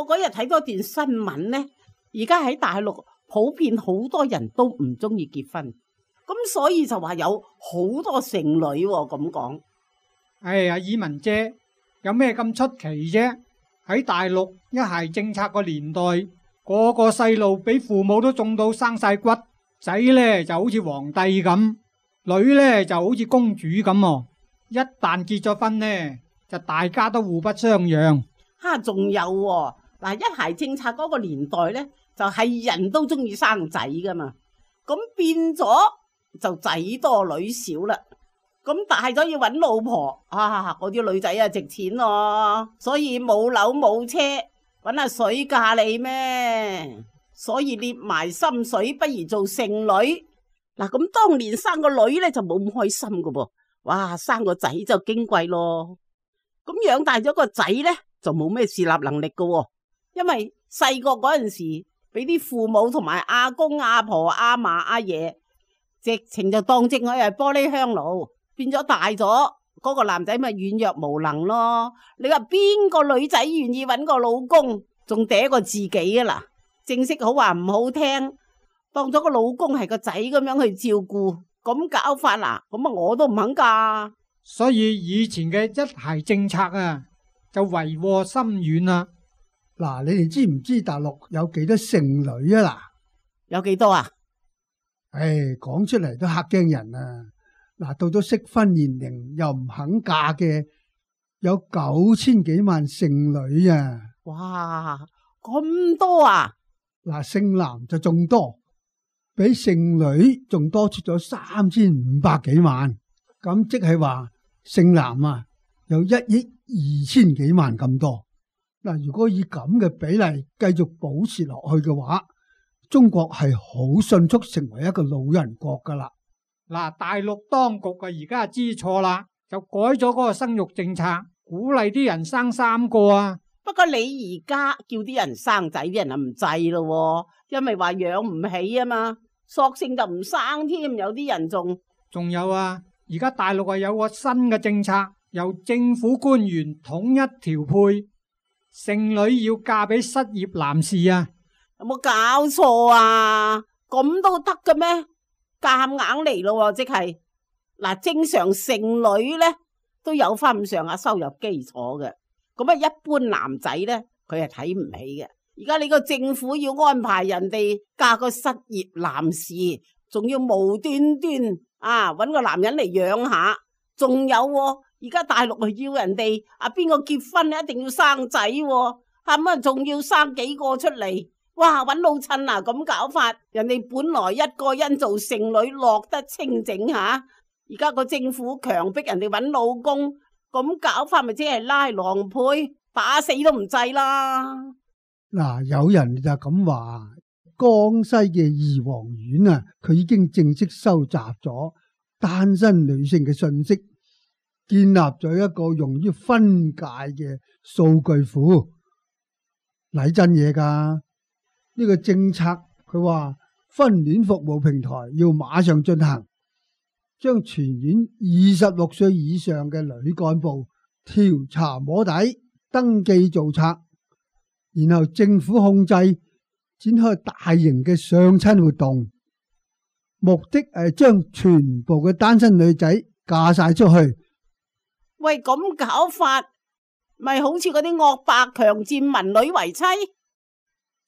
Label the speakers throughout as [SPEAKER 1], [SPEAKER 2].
[SPEAKER 1] 嗰日睇多段新聞呢，而家喺大陸普遍好多人都唔中意結婚，咁所以就話有好多剩女咁講。
[SPEAKER 2] 哎呀，以文姐，有咩咁出奇啫？喺大陸一孩政策個年代，個個細路俾父母都種到生晒骨，仔呢就好似皇帝咁，女呢就好似公主咁。一旦結咗婚呢，就大家都互不相讓。
[SPEAKER 1] 仲有嗱，一孩政策嗰個年代呢，就係人都中意生仔噶嘛，咁變咗就仔多女少啦。咁大咗要搵老婆嗰啲女仔啊值錢咯，所以冇樓冇車，搵阿水嫁你咩？所以捏埋心水，不如做剩女。嗱，咁當年生個女呢，就冇咁開心噶噃，哇，生個仔就矜貴咯。咁養大咗個仔呢，就冇咩自立能力噶，因為細個嗰陣時俾啲父母同埋阿公阿婆阿嫲阿爺直情就當正佢係玻璃香爐，變咗大咗嗰個男仔咪軟弱無能咯。你話邊個女仔願意搵個老公仲嗲過自己啊？嗱，正式好話唔好聽，當咗個老公係個仔咁樣去照顧，咁搞法啦，咁啊我都唔肯嫁。
[SPEAKER 2] 所以以前嘅一孩政策啊，就為禍深遠啦。
[SPEAKER 3] 嗱，你哋知唔知大陸有幾多剩女啊？嗱，
[SPEAKER 1] 有幾多啊？
[SPEAKER 3] 講出嚟都嚇驚人啊！嗱，到咗適婚年齡又唔肯嫁嘅，有9000幾萬剩女啊！
[SPEAKER 1] 哇，咁多啊！
[SPEAKER 3] 嗱，剩男就仲多，比剩女仲多出咗3500幾萬，咁即係話剩男啊有1億2千幾萬咁多。嗱，如果以咁嘅比例繼續保持落去嘅話，中國係好迅速成為一個老人國噶啦。
[SPEAKER 2] 嗱，大陸當局而家知錯啦，就改咗嗰個生育政策，鼓勵啲人生3個啊。
[SPEAKER 1] 不過你而家叫啲人生仔，啲人啊唔制咯，因為話養唔起啊嘛，索性就唔生添。有啲人
[SPEAKER 2] 仲有啊，而家大陸有個新嘅政策，由政府官員統一調配，剩女要嫁俾失業男士啊。
[SPEAKER 1] 有冇搞錯啊？咁都得嘅咩？夾硬嚟咯，即係嗱，正常剩女呢都有翻咁上下收入基礎嘅，咁啊一般男仔呢，佢係睇唔起嘅。而家你個政府要安排人哋嫁個失業男士，仲要無端端搵個男人嚟養下，仲有而家大陸係要人哋邊個結婚一定要生仔，咁啊仲要生幾個出嚟。哇！搵老襯啊，咁搞法，人哋本來一個人做剩女落得清靜吓，而家個政府強迫人哋搵老公，咁搞法咪即係拉郎配，打死都唔制啦。
[SPEAKER 3] 嗱，有人就咁話，江西嘅二黃縣啊，佢已經正式收集咗單身女性嘅信息，建立咗一個用於婚介嘅數據庫，嚟真嘢噶。呢個政策佢話婚戀服務平台要馬上進行，將全縣26歲以上嘅女幹部調查摸底、登記造冊，然後政府控制，展開大型嘅相親活動，目的係將全部嘅單身女仔嫁晒出去。
[SPEAKER 1] 喂，咁搞法咪好似嗰啲惡霸強佔民女為妻？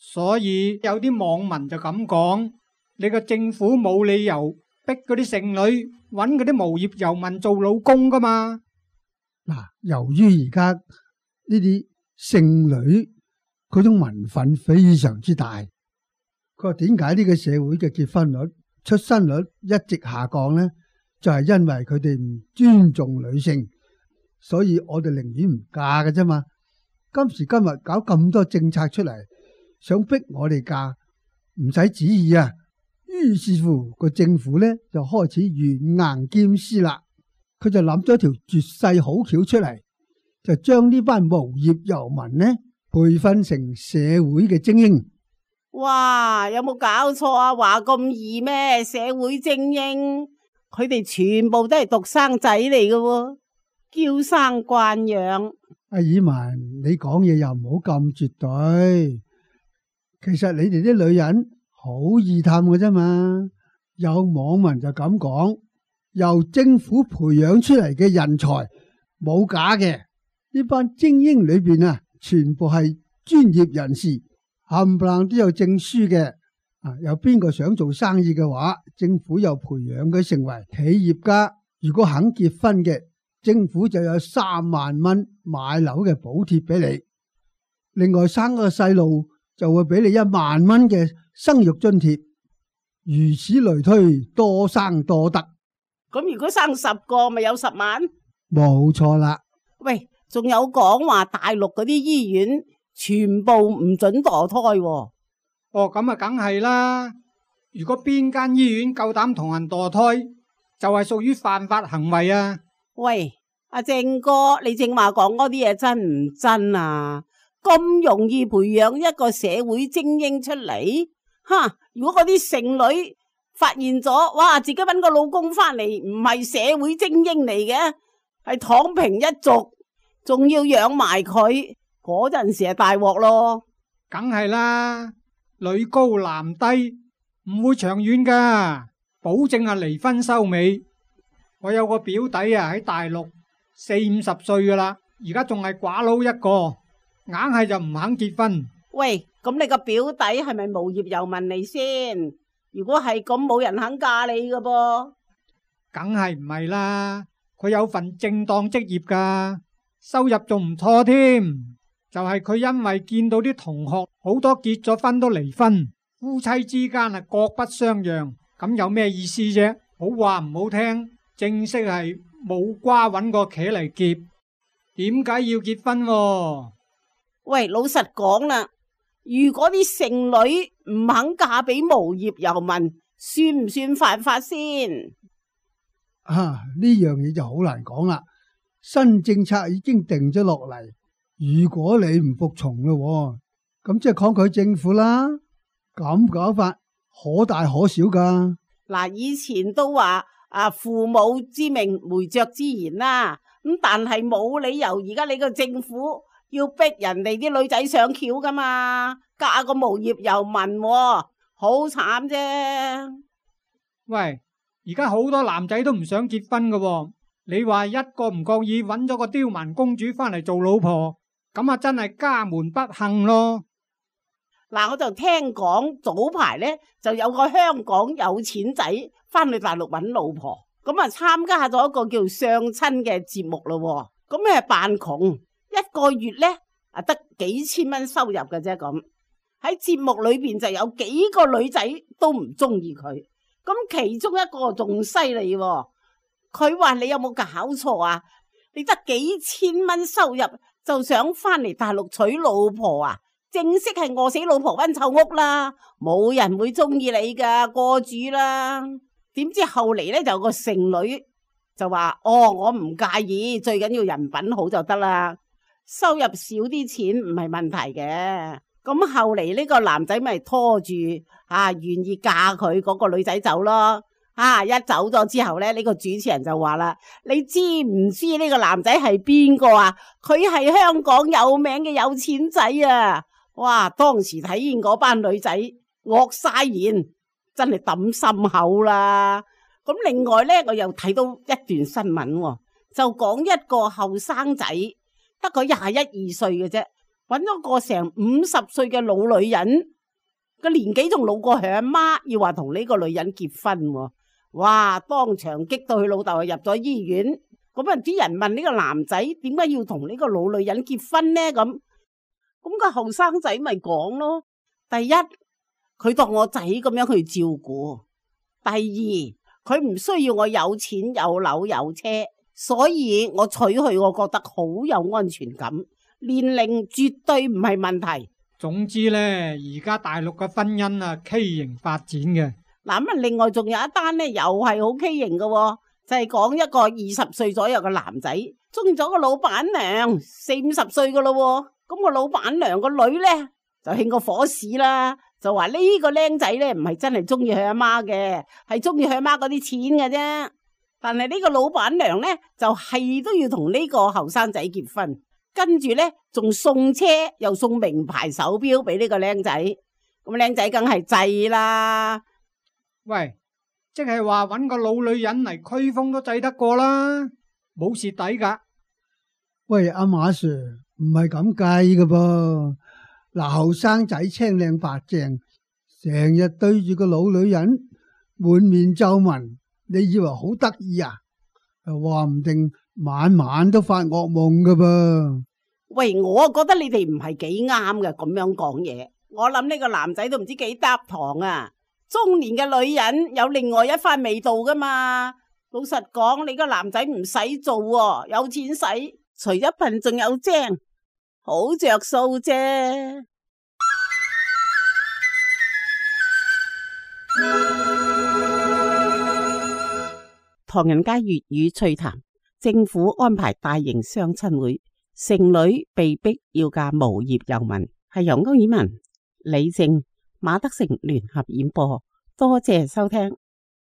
[SPEAKER 2] 所以有啲網民就咁講，你個政府冇理由逼嗰啲剩女搵嗰啲無業遊民做老公噶嘛。
[SPEAKER 3] 嗱，由於而家呢啲剩女嗰種民憤非常之大，佢話點解呢個社會嘅結婚率、出生率一直下降呢？就係因為佢哋唔尊重女性，所以我哋寧願唔嫁嘅啫嘛。今時今日搞咁多政策出嚟，想逼我哋嫁，唔使旨意啊！於是乎個政府呢就開始軟硬兼施啦，佢就諗咗條絕世好橋出嚟，就將呢班無業遊民呢培訓成社會嘅精英。
[SPEAKER 1] 哇！有冇搞錯啊？話咁易咩？社會精英，佢哋全部都係獨生仔嚟嘅喎，嬌生慣養。
[SPEAKER 3] 阿爾文，你講嘢又唔好咁絕對。其實你哋啲女人好易氹嘅啫嘛。有網民就咁講，由政府培養出嚟嘅人才冇假嘅，呢班精英裏邊啊，全部係專業人士，冚唪唥都有證書嘅。有邊個想做生意嘅話，政府又培養佢成為企業家。如果肯結婚嘅，政府就有3萬蚊買樓嘅補貼俾你。另外生個細路就會俾你1萬蚊嘅生育津貼。如此類推，多生多得。
[SPEAKER 1] 咁如果生10個，咪有10萬？
[SPEAKER 3] 冇錯啦。
[SPEAKER 1] 喂，仲有講話大陸嗰啲醫院全部唔准墮胎喎。
[SPEAKER 2] 哦，咁啊，梗係啦。如果邊間醫院夠膽同人墮胎，就係屬於犯法行為啊。
[SPEAKER 1] 喂，阿正哥，你正話講嗰啲嘢真唔真啊？咁容易培養一個社會精英出嚟？如果嗰啲剩女發現咗，哇，自己搵個老公翻嚟唔係社會精英嚟嘅，係躺平一族，仲要養埋佢，嗰陣時係大鑊咯。
[SPEAKER 2] 梗係啦，女高男低唔會長遠噶，保證係離婚收尾。我有個表弟啊，喺大陸40-50歲噶啦，而家仲係寡佬一個，硬係就唔肯結婚。
[SPEAKER 1] 喂，咁你個表弟係咪無業遊民嚟先？如果係咁，冇人肯嫁你噶噃。
[SPEAKER 2] 梗係唔係啦，佢有份正當職業噶，收入仲唔錯添。就係佢因為見到啲同學好多結咗婚都離婚，夫妻之間係各不相讓，咁有咩意思啫？好話唔好聽，正式係冇瓜搵個茄嚟劫。點解要結婚喎？
[SPEAKER 1] 喂，老實講啦。如果啲剩女唔肯嫁俾無業遊民，算唔算犯法先？
[SPEAKER 3] 呢樣嘢就好難講啦。新政策已經定咗落嚟，如果你唔服從咯，咁即係抗拒政府啦。咁搞法可大可小噶。
[SPEAKER 1] 嗱，以前都話父母之命，媒妁之言啦。咁但係冇理由而家你個政府要逼人哋啲女仔上轎噶嘛，嫁個無業遊民，好慘啫。
[SPEAKER 2] 喂，而家好多男仔都唔想結婚噶，你話一個唔覺意搵咗個刁蠻公主翻嚟做老婆，咁啊真係家門不幸咯。
[SPEAKER 1] 嗱，我就聽講早排呢就有個香港有錢仔翻去大陸搵老婆，咁啊參加咗一個叫相親嘅節目咯，咁係扮窮。一個月呢得幾千蚊收入嘅啫，咁喺節目裏邊就有幾個女仔都唔中意佢，咁其中一個仲犀利，佢話你有冇搞錯啊？你得幾千蚊收入就想翻嚟大陸娶老婆啊？正式係餓死老婆溫臭屋啦，冇人會中意你噶，過主啦。點知後嚟呢，就有個剩女就話，我唔介意，最緊要人品好就得啦。收入少啲錢唔係問題嘅，咁後嚟呢個男仔咪拖住願意嫁佢嗰個女仔走咯，一走咗之後呢，呢個主持人就話啦，你知唔知呢個男仔係邊個啊？佢係香港有名嘅有錢仔啊！哇，當時睇見嗰班女仔惡晒言，真係抌心口啦。咁另外呢，我又睇到一段新聞，就講一個後生仔。得個21-22歲嘅啫，搵咗個成50歲嘅老女人，個年紀仲老過佢阿媽，要話同呢個女人結婚，哇！當場激到佢老豆入咗醫院。咁啲人問呢個男仔點解要同呢個老女人結婚呢？咁個後生仔咪講咯，第一，佢當我仔咁樣去照顧；第二，佢唔需要我有錢有樓有車。所以我娶佢，我覺得好有安全感，年齡絕對唔係問題。
[SPEAKER 2] 總之呢，而家大陸嘅婚姻畸形發展嘅。嗱，
[SPEAKER 1] 咁另外仲有一單呢，又係好畸形嘅，就係講一個20歲左右嘅男仔中意咗個老闆娘，40-50歲嘅咯。咁個老闆娘個女呢，就興個火屎啦，就話呢個僆仔呢唔係真係中意佢阿媽嘅，係中意佢阿媽嗰啲錢嘅啫。但係呢個老闆娘呢，就係都要同呢個後生仔結婚，跟住呢，仲送車又送名牌手錶俾呢個僆仔，咁僆仔梗係制啦。
[SPEAKER 2] 喂，即係話搵個老女人嚟驅風都制得過啦，冇蝕底噶。
[SPEAKER 3] 喂，阿馬 Sir 唔係咁計噶噃。嗱，後生仔青靚白淨，成日對住個老女人滿面皺紋，你以為好得意啊？話唔定晚晚都發噩夢噶噃。
[SPEAKER 1] 喂，我覺得你哋唔係幾啱嘅咁樣講嘢。我諗呢個男仔都唔知幾搭堂啊！中年嘅女人有另外一番味道噶嘛。老實講，你個男仔唔使做喎，有錢使，除咗貧仲有精，好着數啫。唐人街粵語趣談，政府安排大型相親會，剩女被逼要嫁無業遊民，係由歐爾文、李靜、馬德成聯合演播，多謝收聽。